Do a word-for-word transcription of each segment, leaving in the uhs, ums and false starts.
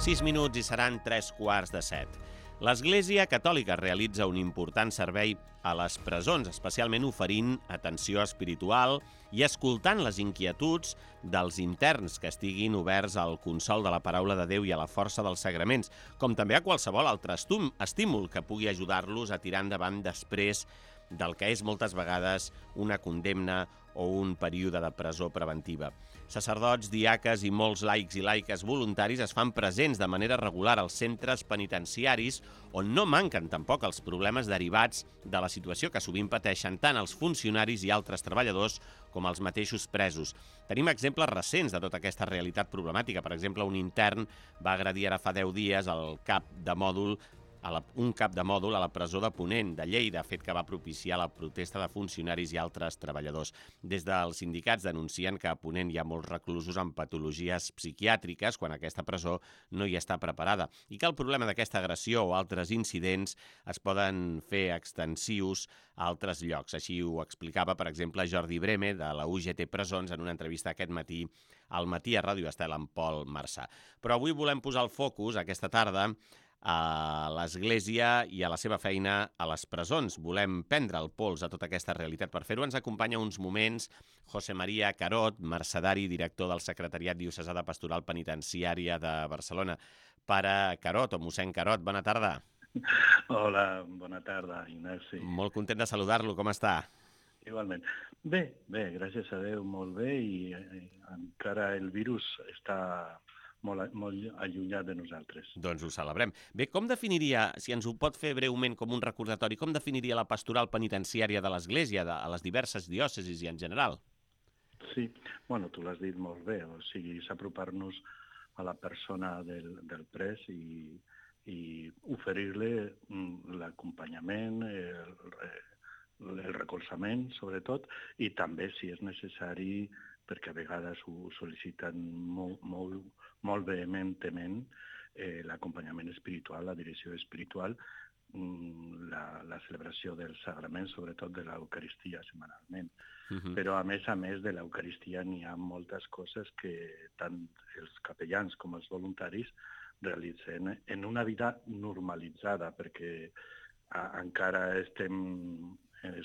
sis minuts i seran tres quarts de set. L'Església Catòlica realitza un important servei a les presons, especialment oferint atenció espiritual i escoltant les inquietuds dels interns que estiguin oberts al consol de la paraula de Déu i a la força dels sagraments, com també a qualsevol altre estímul que pugui ajudar-los a tirar endavant després del que és moltes vegades una condemna o un període de presó preventiva. Sacerdots, diaques i molts laics i laiques voluntaris es fan presents de manera regular als centres penitenciaris on no manquen tampoc els problemes derivats de la situació que sovint pateixen tant els funcionaris i altres treballadors com els mateixos presos. Tenim exemples recents de tota aquesta realitat problemàtica. Per exemple, un intern va agredir ara fa deu dies el cap de mòdul a la, un cap de mòdul a la presó de Ponent, de Lleida, fet que va propiciar la protesta de funcionaris i altres treballadors. Des dels sindicats denuncien que a Ponent hi ha molts reclusos amb patologies psiquiàtriques quan aquesta presó no hi està preparada i que el problema d'aquesta agressió o altres incidents es poden fer extensius a altres llocs. Així ho explicava, per exemple, Jordi Breme, de la U G T Presons, en una entrevista aquest matí al Matí a Ràdio Estel amb Pol Marçà. Però avui volem posar el focus, aquesta tarda, a l'Església i a la seva feina a les presons. Volem prendre el pols a tota aquesta realitat. Per fer-ho ens acompanya uns moments José María Carot, mercedari, director del Secretariat Diocesà de Pastoral Penitenciària de Barcelona. Pare Carot, o mossèn Carot, bona tarda. Hola, bona tarda, Ignasi. Molt content de saludar-lo, com està? Igualment. Bé, bé, gràcies a Déu, molt bé, i encara el virus està molt, molt allunyat de nosaltres. Doncs ho celebrem. Bé, com definiria, si ens ho pot fer breument com un recordatori, com definiria la pastoral penitenciària de l'Església a les diverses diòcesis i en general? Sí, bueno, tu l'has dit molt bé, o sigui, és apropar-nos a la persona del, del pres i, i oferir-li l'acompanyament, el, el recolzament, sobretot, i també, si és necessari, perquè a vegades ho sol·liciten molt, molt, molt vehementment, eh, l'acompanyament espiritual, la direcció espiritual, la, la celebració del sagrament, sobretot de l'Eucaristia setmanalment. Uh-huh. Però a més a més de l'Eucaristia n'hi ha moltes coses que tant els capellans com els voluntaris realitzen en una vida normalitzada, perquè a, encara estem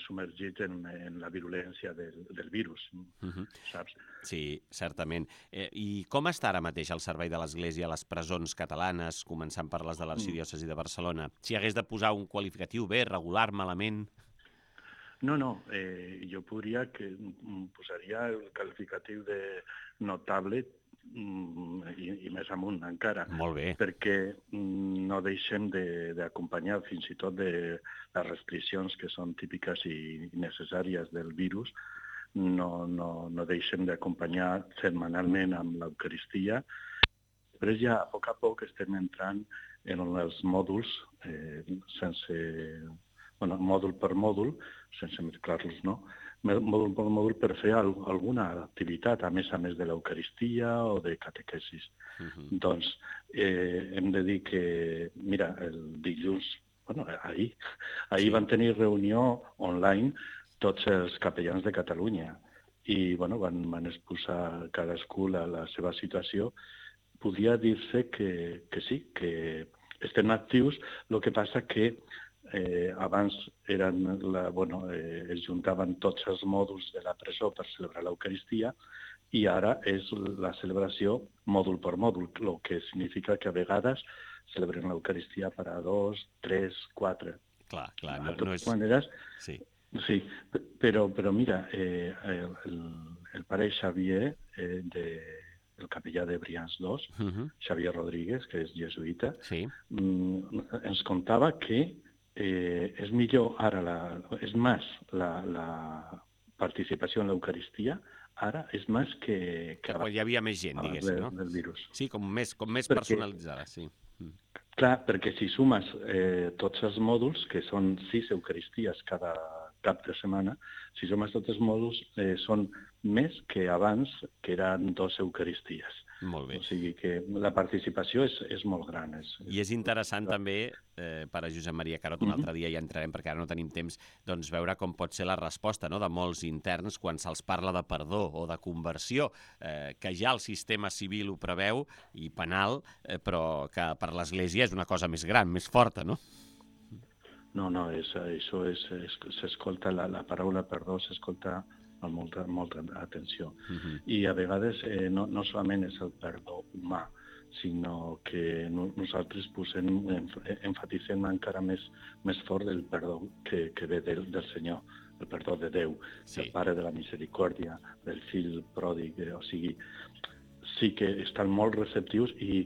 submergits en, en la virulència del, del virus, uh-huh. Saps? Sí, certament. Eh, I com està ara mateix el servei de l'Església a les presons catalanes, començant per les de l'Arxidiòcesi de Barcelona? Si hagués de posar un qualificatiu bé, regular, malament? No, no, eh, jo podria que posaria el qualificatiu de notable i, i més amunt encara. Molt bé. Perquè no deixem d'acompanyar fins i tot de les restriccions que són típiques i necessàries del virus, no, no, no deixem d'acompanyar setmanalment amb l'Eucaristia. Després ja a poc a poc estem entrant en els mòduls eh, sense, bueno, mòdul per mòdul, sense mesclar-los, no? Mòdul per mòdul per fer alguna activitat, a més a més de l'Eucaristia o de catequesis. Uh-huh. Doncs eh, hem de dir que, mira, el dilluns, bueno, ahir, ahir sí. Van tenir reunió online tots els capellans de Catalunya i, bueno, van, van exposar cadascú la, la seva situació. Podria dir-se que, que sí, que estem actius, el que passa que Eh, abans eren la, bueno, eh, es juntaven tots els mòduls de la presó per celebrar l'Eucaristia i ara és la celebració mòdul per mòdul, el que significa que a vegades celebren l'Eucaristia per a dos, tres, quatre. Clar, clar. De no, totes no és... maneres, sí, sí, però, però mira, eh, el, el pare Xavier, eh, de, el capellà de Brians dos, uh-huh. Xavier Rodríguez, que és jesuïta, sí. mm, ens contava que Eh, és millor ara, la, és més la, la participació en l'Eucaristia, ara és més que... Que, que quan hi havia més gent, diguéssim, no? Del virus. Sí, com més, com més perquè, personalitzada, sí. Clar, perquè si sumes eh, tots els mòduls, que són sis Eucaristies cada cap de setmana, si sumes tots els mòduls, eh, són més que abans, que eren dos Eucaristies. Molt bé. O sigui que la participació és, és molt gran. És, I és interessant també, eh, per a Josep Maria Carot, un altre dia ja entrarem perquè ara no tenim temps, doncs veure com pot ser la resposta, no?, de molts interns quan se'ls parla de perdó o de conversió, eh, que ja el sistema civil ho preveu i penal, eh, però que per l'Església és una cosa més gran, més forta, no? No, no, és, això és, és, s'escolta, la, la paraula perdó s'escolta amb molta, molta atenció. Uh-huh. I a vegades eh, no, no solament és el perdó humà, sinó que no, nosaltres posem, enfatitzem encara més, més fort el perdó que, que ve del, del Senyor, el perdó de Déu, sí. El Pare de la Misericòrdia, del fill pròdig, o sigui, sí que estan molt receptius i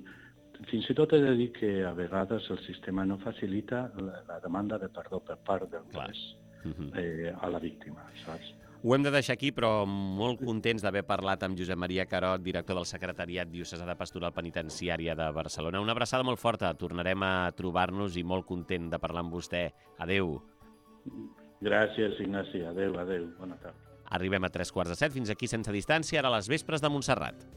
fins i tot he de dir que a vegades el sistema no facilita la, la demanda de perdó per part del juez uh-huh. eh, a la víctima, saps? Ho hem de deixar aquí, però molt contents d'haver parlat amb Josep Maria Carot, director del Secretariat Diocesà de Pastoral Penitenciària de Barcelona. Una abraçada molt forta. Tornarem a trobar-nos i molt content de parlar amb vostè. Adéu. Gràcies, Ignasi. Adéu, adéu. Bona tarda. Arribem a tres quarts de set. Fins aquí Sense Distància, ara a les vespres de Montserrat.